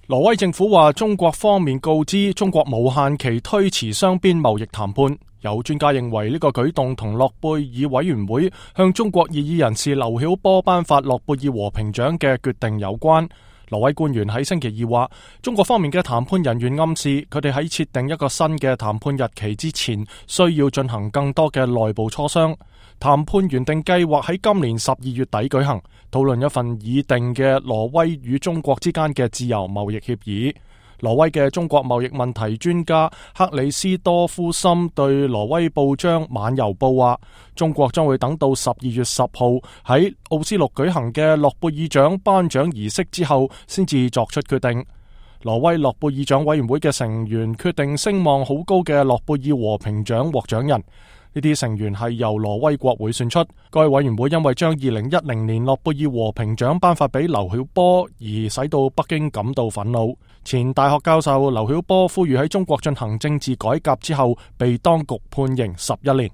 挪威政府話，中國方面告知中國無限期推遲雙邊貿易談判。有專家認為呢個舉動同諾貝爾委員會向中國異議人士劉曉波頒發諾貝爾和平獎嘅決定有關。挪威官員喺星期二話，中國方面嘅談判人員暗示佢哋喺設定一個新嘅談判日期之前，需要進行更多嘅內部磋商。談判原定計劃喺今年12月底舉行，討論一份擬定嘅挪威與中國之間嘅自由貿易協議。挪威嘅中國貿易問題專家克里斯多夫森對挪威報章晚郵報話，中國將會等到12月10號喺奧斯陸舉行嘅諾貝爾獎頒獎儀式之後，先至作出決定。挪威諾貝爾獎委員會嘅成員決定聲望好高嘅諾貝爾和平獎獲獎人。呢啲成員係由挪威國會選出。該委員會因為將2010年諾貝爾和平獎頒發俾劉曉波而使到北京感到憤怒。前大學教授劉曉波呼籲喺中國進行政治改革之後，被當局判刑11年。